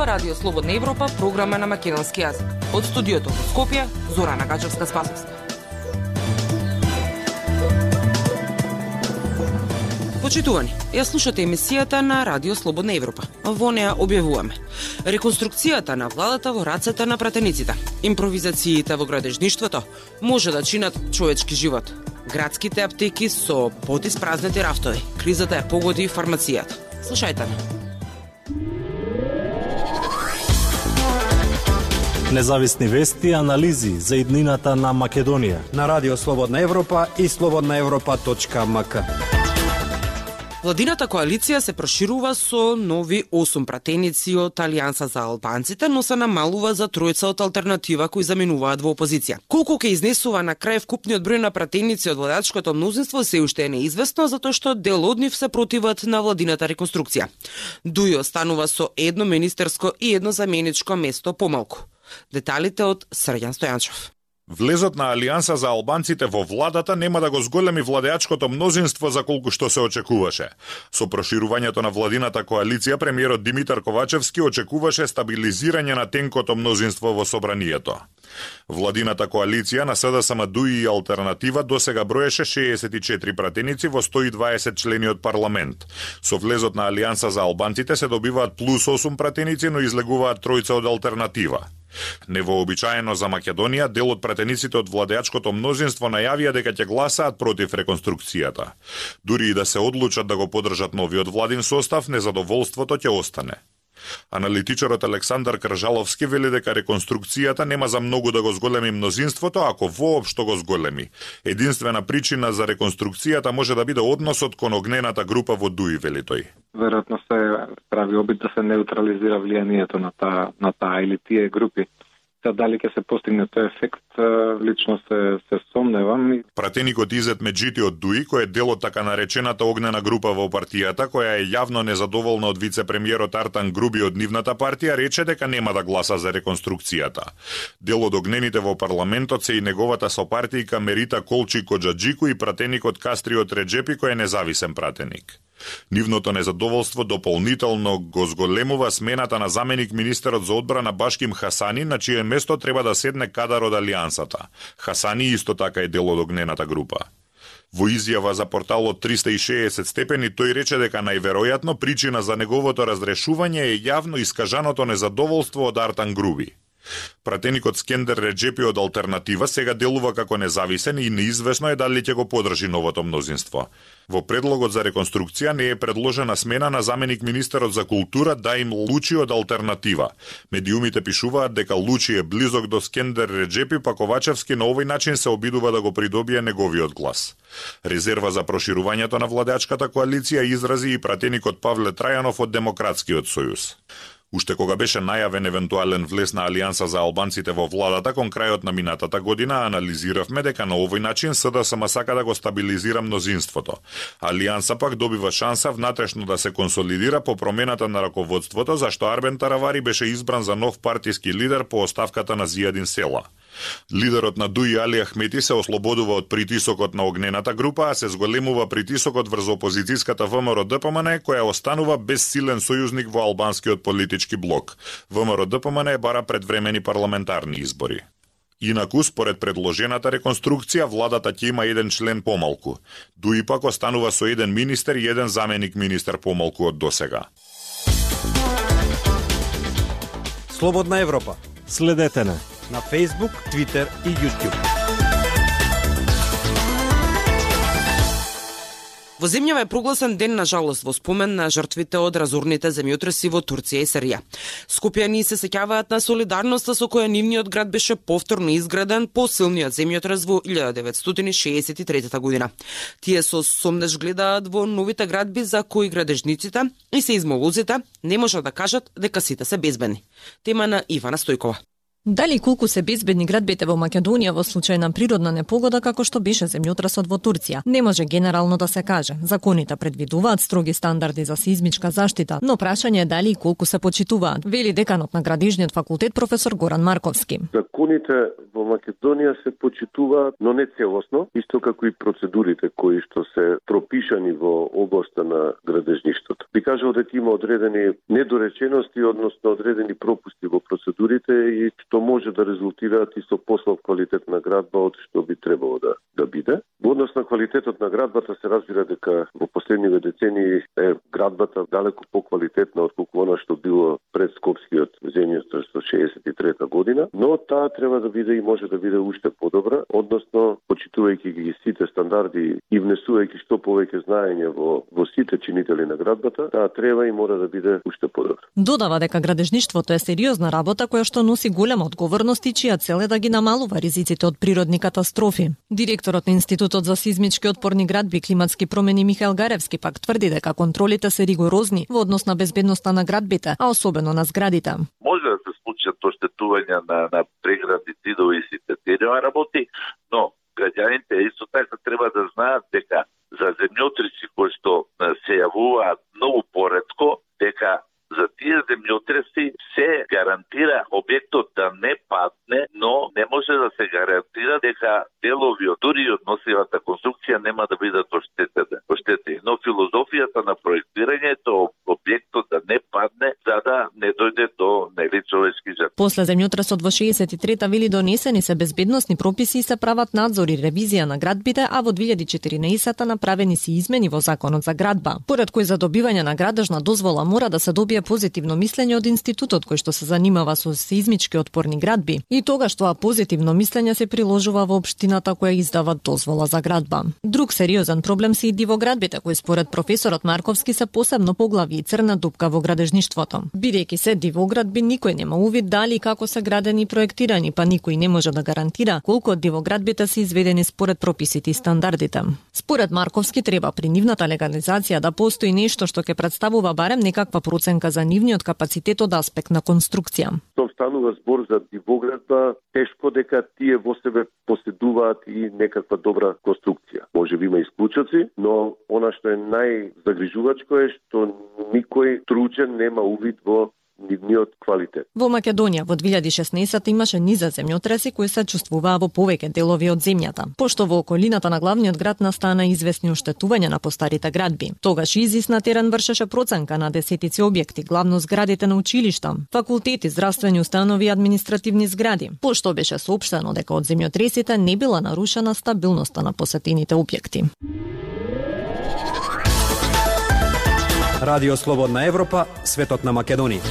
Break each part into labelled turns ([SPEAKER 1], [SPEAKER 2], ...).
[SPEAKER 1] Ова Радио Слободна Европа, програма на македонски јазик. Од студиото во Скопје, Зорана Гачевска-Спасовска. Почитувани, ја слушате емисијата на Радио Слободна Европа. Во неа објавуваме реконструкцијата на владата во рацете на пратениците, импровизациите во градежништвото може да чинат човечки живот, градските аптеки со потиспразнети рафтови, кризата ја погоди фармацијата. Слушајте на.
[SPEAKER 2] Независни вести и анализи за иднината на Македонија
[SPEAKER 3] на Радио Слободна Европа и slobodnaevropa.mk.
[SPEAKER 1] Владината коалиција се проширува со нови 8 пратеници од Алијанса за албанците, но се намалува за тројца од алтернатива кои заменуваат во опозиција. Колку ќе изнесува на крај вкупниот број на пратеници од владачкото мнозинство се уште е неизвестно, затоа што дел од нив се противат на владината реконструкција. Дуј останува со едно министерско и едно заменичко место помалку. Деталите од Срđan Стојанчев.
[SPEAKER 4] Влезот на Алијанса за албанците во владата нема да го зголеми владеачкото мнозинство за колку што се очекуваше. Со проширувањето на владината коалиција, премиерот Димитар Ковачевски очекуваше стабилизирање на тенкото мнозинство во собранието. Владината коалиција на СДСМ, ДУИ и Алтернатива досега броеше 64 пратеници во 120 члени од парламент. Со влезот на Алијанса за албанците се добиваат плюс 8 пратеници, но излегуваат тројца од Алтернатива. Невообичаено за Македонија, дел од пратениците од владеачкото мнозинство најавија дека ќе гласаат против реконструкцијата. Дури и да се одлучат да го поддржат новиот владин состав, незадоволството ќе остане. Аналитичарот Александар Кржаловски вели дека реконструкцијата нема за многу да го зголеми мнозинството, ако воопшто го зголеми. Единствена причина за реконструкцијата може да биде односот кон огнената група во ДУИ, вели тој.
[SPEAKER 5] Веројатно се прави обид да се неутрализира влијанието на таа или тие групи. Дали ќе се постигне тој ефект, лично се сомневам.
[SPEAKER 4] Пратеникот Изет Меджити од ДУИ, кој е дел од така наречената огнена група во партијата, која е јавно незадоволна од вице-премиерот Артан Груби од нивната партија, рече дека нема да гласа за реконструкцијата. Дел од огнените во парламентот се и неговата сопартијка Мерита Колчи Коджаджику и пратеникот Кастриот Реджепи, кој е независен пратеник. Нивното незадоволство дополнително го зголемува смената на заменик министерот за одбрана Башким Хасани, на чие место треба да седне кадар од Алијансата. Хасани исто така е дел од огнената група. Во изјава за порталот 360 степени тој рече дека најверојатно причина за неговото разрешување е јавно искажаното незадоволство од Артан Груби. Пратеникот Скендер Реджепи од Алтернатива сега делува како независен и неизвестно е дали ќе го подржи новото мнозинство. Во предлогот за реконструкција не е предложена смена на заменик министерот за култура Даим Лучи од Алтернатива. Медиумите пишуваат дека Лучи е близок до Скендер Реджепи, па Ковачевски на овој начин се обидува да го придобие неговиот глас. Резерва за проширувањето на владеачката коалиција изрази и пратеникот Павле Трајанов од Демократскиот сојуз. Уште кога беше најавен евентуален влез на Алијанса за албанците во владата кон крајот на минатата година, анализиравме дека на овој начин СДСМ сака да го стабилизира мнозинството. Алијанса пак добива шанса внатрешно да се консолидира по промената на раководството, зашто Арбен Таравари беше избран за нов партиски лидер по оставката на Зијадин Села. Лидерот на ДУИ Али Ахмети се ослободува од притисокот на огнената група, а се зголемува притисокот врз опозицијската ВМРО-ДПМН, која останува без силен сојузник во албанскиот политички блок. ВМРО-ДПМН бара предвремени парламентарни избори. Инаку, според предложената реконструкција, владата ќе има еден член помалку. ДУИ пак останува со еден министер и еден заменик министер помалку од досега.
[SPEAKER 3] Слободна Европа.
[SPEAKER 2] Следете на
[SPEAKER 3] Facebook, Twitter и YouTube.
[SPEAKER 1] Во земјава е прогласен ден на жалост во спомен на жртвите од разорните земјотреси во Турција и Сирија. Скопјани се сеќаваат на солидарноста со која нивниот град беше повторно изграден по силниот земјотрес во 1963 година. Тие со сомнеж гледаат во новите градби за кои градежниците и сеизмолозите не можат да кажат дека сите се безбедни. Тема на Ивана Стојкова.
[SPEAKER 6] Дали колку се безбедни градбите во Македонија во случај на природна непогода како што беше земјотресот во Турција? Не може генерално да се каже. Законите предвидуваат строги стандарди за сеизмичка заштита, но прашање е дали и колку се почитуваат, вели деканот на Градежниот факултет професор Горан Марковски.
[SPEAKER 7] Законите во Македонија се почитуваат, но не целосно, исто како и процедурите кои што се пропишани во областа на градежништвото. Би кажал дека има одредени недоречености, односно одредени пропусти во процедурите и што може да резултираат и со послаб квалитет на градба од што би требало да биде. Во однос на квалитетот на градбата се разбира дека во последниве децении е градбата далеко поквалитетна отколку она што било пред Скопскиот земјотрес во 63 година, но таа треба да биде и може да биде уште подобра, односно почитувајќи ги сите стандарди и внесувајќи што повеќе знаење во сите чинители на градбата, таа треба и мора да биде уште подобра.
[SPEAKER 6] Додава дека градежништвото е сериозна работа која што носи голема одговорност и чија цел е да ги намалува ризиците од природни катастрофи. Директорот на Институтот за сеизмички отпорни градби и климатски промени Михаел Гаревски пак тврди дека контролите се ригорозни во однос на безбедноста на градбите, а особено на зградите.
[SPEAKER 8] Може да се случат оштетувања на преградни зидови и сите тези работи, но граѓаните исто така треба да знаат дека за земјотреси кои што се јавуваат многу поретко, дека за тие земјотреси се гарантира објектот да не падне, но не може да се гарантира дека делови од дури од носивата конструкција нема да бидат оштетени. Но филозофијата на проектирањето објектот да не падне за да не дојде до човечки жртви.
[SPEAKER 6] После земјотресот во 63-та вели донесени се безбедносни прописи и се прават надзор и ревизија на градбите, а во 2014-та направени се измени во Законот за градба, поред кој за добивање на градежна дозвола мора да се добие позитивно мислење од институтот кој што се занимава со сеизмички отпорни градби и тогаш тоа позитивно мислење се приложува во општината која издава дозвола за градба. Друг сериозен проблем се и дивоградбите кои според професорот Марковски се посебно поглави и црна дупка во градежништвото. Бидејќи се дивоградби, никој нема увид дали и како се градени и проектирани, па никој не може да гарантира колку од дивоградбите се изведени според прописите и стандардите. Според Марковски треба при нивната легализација да постои нешто што ќе представува барем некаква проценка за нивниот капацитет од аспект на конструкција.
[SPEAKER 7] Тоа станува збор за дивоградба, тешко дека тие во себе поседуваат и некаква добра конструкција. Може би има исклучоци, но она што е најзагрижувачко е што никој тручен нема увид во нивниот квалитет.
[SPEAKER 6] Во Македонија во 2016 имаше низа земјотреси кои се чувствуваа во повеќе делови од земјата, пошто во околината на главниот град настана известни оштетувања на постарите градби. Тогаш ИЗИС на терен вршеше проценка на десетици објекти, главно зградите на училишта, факултети, здравствени установи и административни згради, пошто беше соопштено дека од земјотресите не била нарушена стабилноста на посетените објекти.
[SPEAKER 3] Радио Слободна Европа, светот на Македонија.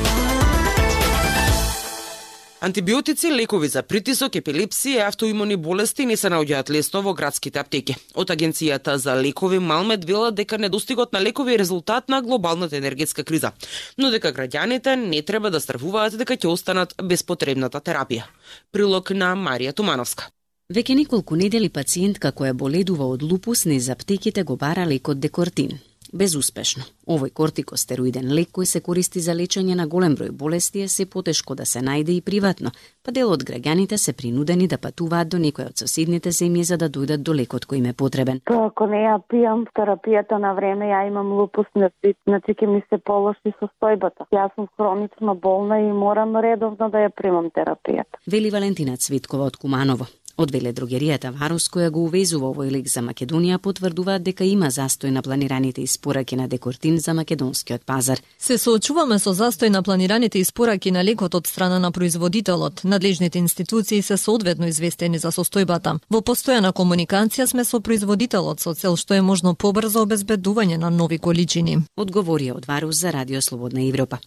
[SPEAKER 1] Антибиотици, лекови за притисок, епилепсија и автоимуни болести не се наоѓаат лесно во градските аптеки. Од Агенцијата за лекови Малмед велат дека недостигот на лекови е резултат на глобалната енергетска криза, но дека граѓаните не треба да стравуваат дека ќе останат без потребната терапија. Прилог на Марија Тумановска.
[SPEAKER 9] Веќе неколку недели пациентка која боледува од лупус низ аптеките го бара лекот Декортин. Безуспешно. Овој кортикостероиден лек кој се користи за лечење на голем број болести е се потешко да се најде и приватно, па дел од граѓаните се принудени да патуваат до некој од соседните земји за да дојдат до лекот кој им е потребен.
[SPEAKER 10] Ако не ја пијам терапијата на време, ја имам лупус, значи ќе ми се полоши состојбата. Јас сум хронично болна и морам редовно да ја примам терапијата.
[SPEAKER 9] Вели Валентина Цветкова од Куманово. Од веледрогеријата Варус, која го увезува овој лек за Македонија, потврдуваат дека има застој на планираните испораки на Декортин за македонскиот пазар.
[SPEAKER 6] Се соочуваме со застој на планираните испораки на лекот од страна на производителот. Надлежните институции се соодветно известени за состојбата. Во постојана комуникација сме со производителот со цел што е можно побрзо обезбедување на нови количини.
[SPEAKER 9] Одговорија од Варус за Радио Слободна Европа.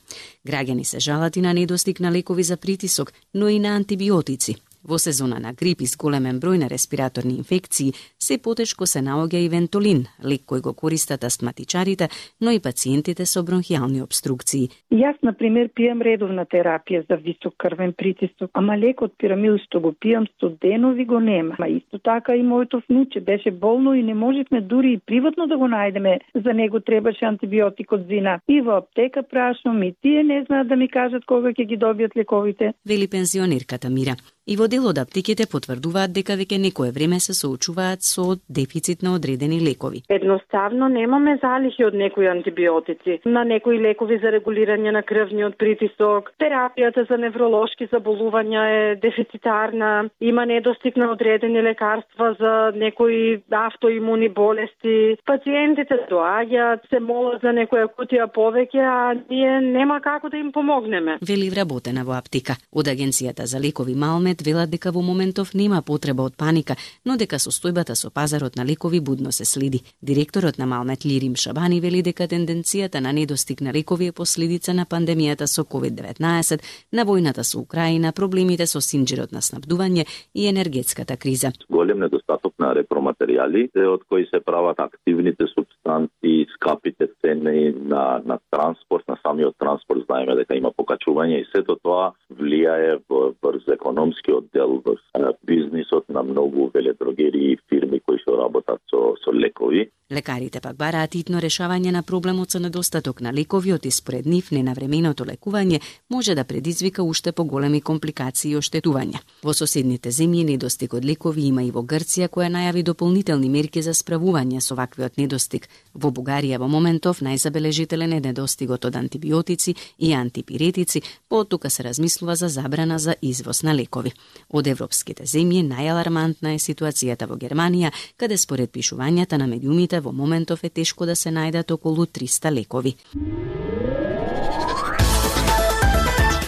[SPEAKER 9] Граѓани се жалат и на недостиг на лекови за притисок, но и на антибиотици. Во сезона на грип и с големен број на респираторни инфекции, се потешко се наоѓа и вентолин, лек кој го користат астматичарите, но и пациентите со бронхијални обструкции.
[SPEAKER 11] Јас, например, пијам редовна терапија за висок крвен притисок, ама лекот пирамил што го пијам студенови го нема. Ма исто така и моето внуче беше болно и не можевме дури и приватно да го најдеме. За него требаше антибиотик од зина. И во аптека прашам, и тие не знаат да ми кажат кога ќе ги добијат лековите.
[SPEAKER 9] Вели пензионерката Мира. И во дел од аптеките потврдуваат дека веќе некое време се соочуваат со дефицит на одредени лекови.
[SPEAKER 12] Едноставно немаме залихи од некои антибиотици, на некои лекови за регулирање на крвниот притисок, терапијата за невролошки заболувања е дефицитарна, има недостиг на одредени лекарства за некои автоимуни болести. Пациентите доаѓаат, се молат за некоја кутија повеќе, а ние нема како да им помогнеме.
[SPEAKER 9] Вели вработена во аптека. Од Агенцијата за лекови Малмет велат дека во моментов нема потреба од паника, но дека состојбата со пазарот на лекови будно се следи. Директорот на Малмет Лирим Шабани вели дека тенденцијата на недостиг на лекови е последица на пандемијата со COVID-19, на војната со Украина, проблемите со синџирот на снабдување и енергетската криза.
[SPEAKER 13] Голем недостаток на репроматеријали, од кои се прават активните субстанции, скапите цени на транспорт, на самиот транспорт, знаеме дека има покачување и сето тоа влијае врз економскиот дел, врз бизнисот на многу веледрогерии и фирми кои што работат со лекови.
[SPEAKER 9] Лекарите пак бараат итно решавање на проблемот со недостаток на лекови, и според нив ненавременото лекување може да предизвика уште поголеми компликации и оштетувања. Во соседните земји недостиг од лекови има и во Грција, која најави дополнителни мерки за справување со ваквиот недостиг. Во Бугарија во моментов најзабележителен е недостигот од антибиотици и антипиретици, потука се размислува за забрана за извоз на лекови. Од европските земји најалармантна е ситуацијата во Германија, каде според пишувањата на медиумите во моментов е тешко да се најдат околу 300 лекови.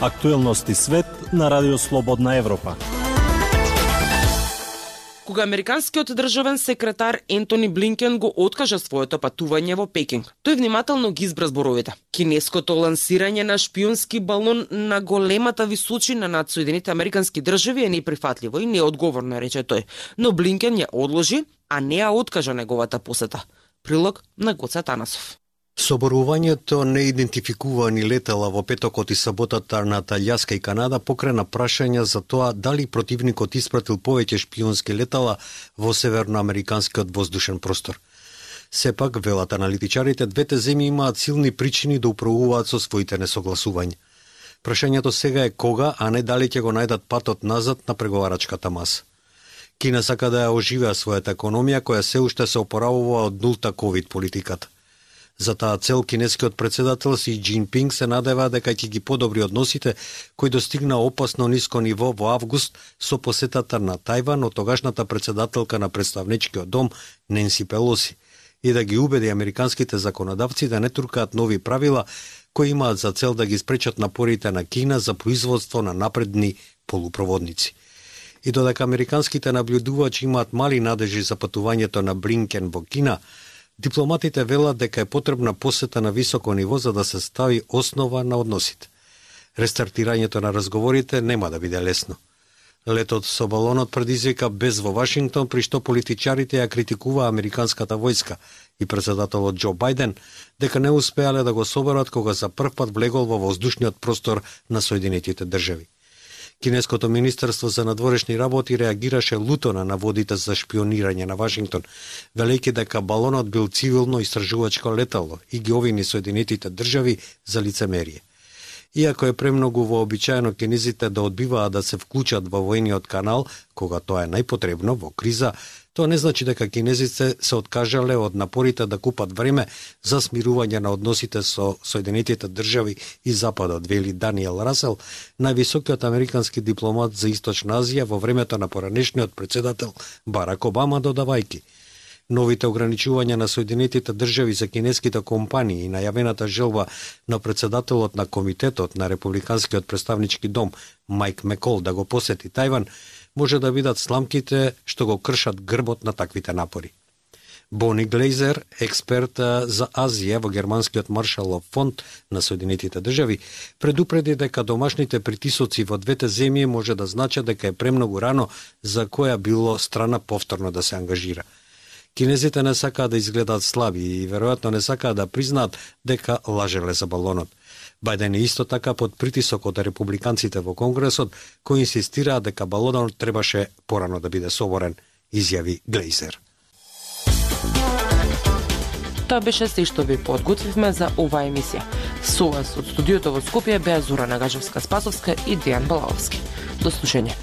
[SPEAKER 2] Актуелности свет на Радио Слободна Европа.
[SPEAKER 1] Кога американскиот државен секретар Ентони Блинкен го откажа своето патување во Пекинг, тој внимателно ги избра зборовите. Кинеското лансирање на шпионски балон на големата височина над Соединетите американски држави е неприфатливо и неодговорно, рече тој. Но Блинкен ја одложи, а не ја откажа неговата посета. Прилог на Гоце Танасов.
[SPEAKER 3] Соборувањето неидентификувани летала во петокот и саботата над Алјаска и Канада покрена прашања за тоа дали противникот испратил повеќе шпионски летала во северноамериканскиот воздушен простор. Сепак, велат аналитичарите, двете земји имаат силни причини да управуваат со своите несогласувања. Прашањето сега е кога, а не дали ќе го најдат патот назад на преговарачката маса. Кина сака да ја оживеа својата економија, која се уште се опоравува од нулта ковид политиката. За таа цел кинескиот председател Си Џинпинг се надева дека ќе ги подобри односите кои достигна опасно ниско ниво во август со посетата на Тајван од тогашната председателка на представничкиот дом Ненси Пелоси и да ги убеди американските законодавци да не туркаат нови правила кои имаат за цел да ги спречат напорите на Кина за производство на напредни полупроводници. И додека американските наблюдувачи имаат мали надежи за патувањето на Блинкен во Кина, дипломатите велат дека е потребна посета на високо ниво за да се стави основа на односите. Рестартирањето на разговорите нема да биде лесно. Летот со балонот предизвика без во Вашингтон, при што политичарите ја критикува американската војска и председателот Џо Бајден дека не успеале да го соберат кога за прв пат влегол во воздушниот простор на Соединетите држави. Кинеското министерство за надворешни работи реагираше луто на наводите за шпионирање на Вашингтон, велејќи дека балонот бил цивилно истражувачко летало и ги обвини Соединетите држави за лицемерие. Иако е премногу вообичаено кинезите да одбиваат да се вклучат во војниот канал, кога тоа е најпотребно во криза, тоа не значи дека кинезите се откажале од напорите да купат време за смирување на односите со Соединетите држави и Западот, вели Даниел Расел, највисокиот американски дипломат за Источна Азија во времето на поранешниот председател Барак Обама, додавајќи: новите ограничувања на Соединетите држави за кинеските компании и најавената желба на председателот на комитетот на Републиканскиот представнички дом Мајк Мекол да го посети Тајван може да бидат сламките што го кршат грбот на таквите напори. Бони Глейзер, експерт за Азија во Германскиот Маршалов фонд на Соединетите држави, предупреди дека домашните притисоци во двете земји може да значат дека е премногу рано за која било страна повторно да се ангажира. Кинезите не сакаат да изгледаат слаби и веројатно не сакаат да признаат дека лажеле за балонот. Бајден е исто така под притисок од републиканците во Конгресот, кои инсистираат дека балонот требаше порано да биде соборен, изјави Глейзер.
[SPEAKER 1] Тоа беше се што ви подготвивме за оваа емисија. Со вас од студиото во Скопје беа Зора Нагажевска-Спасовска и Дејан Балаовски. До слушање.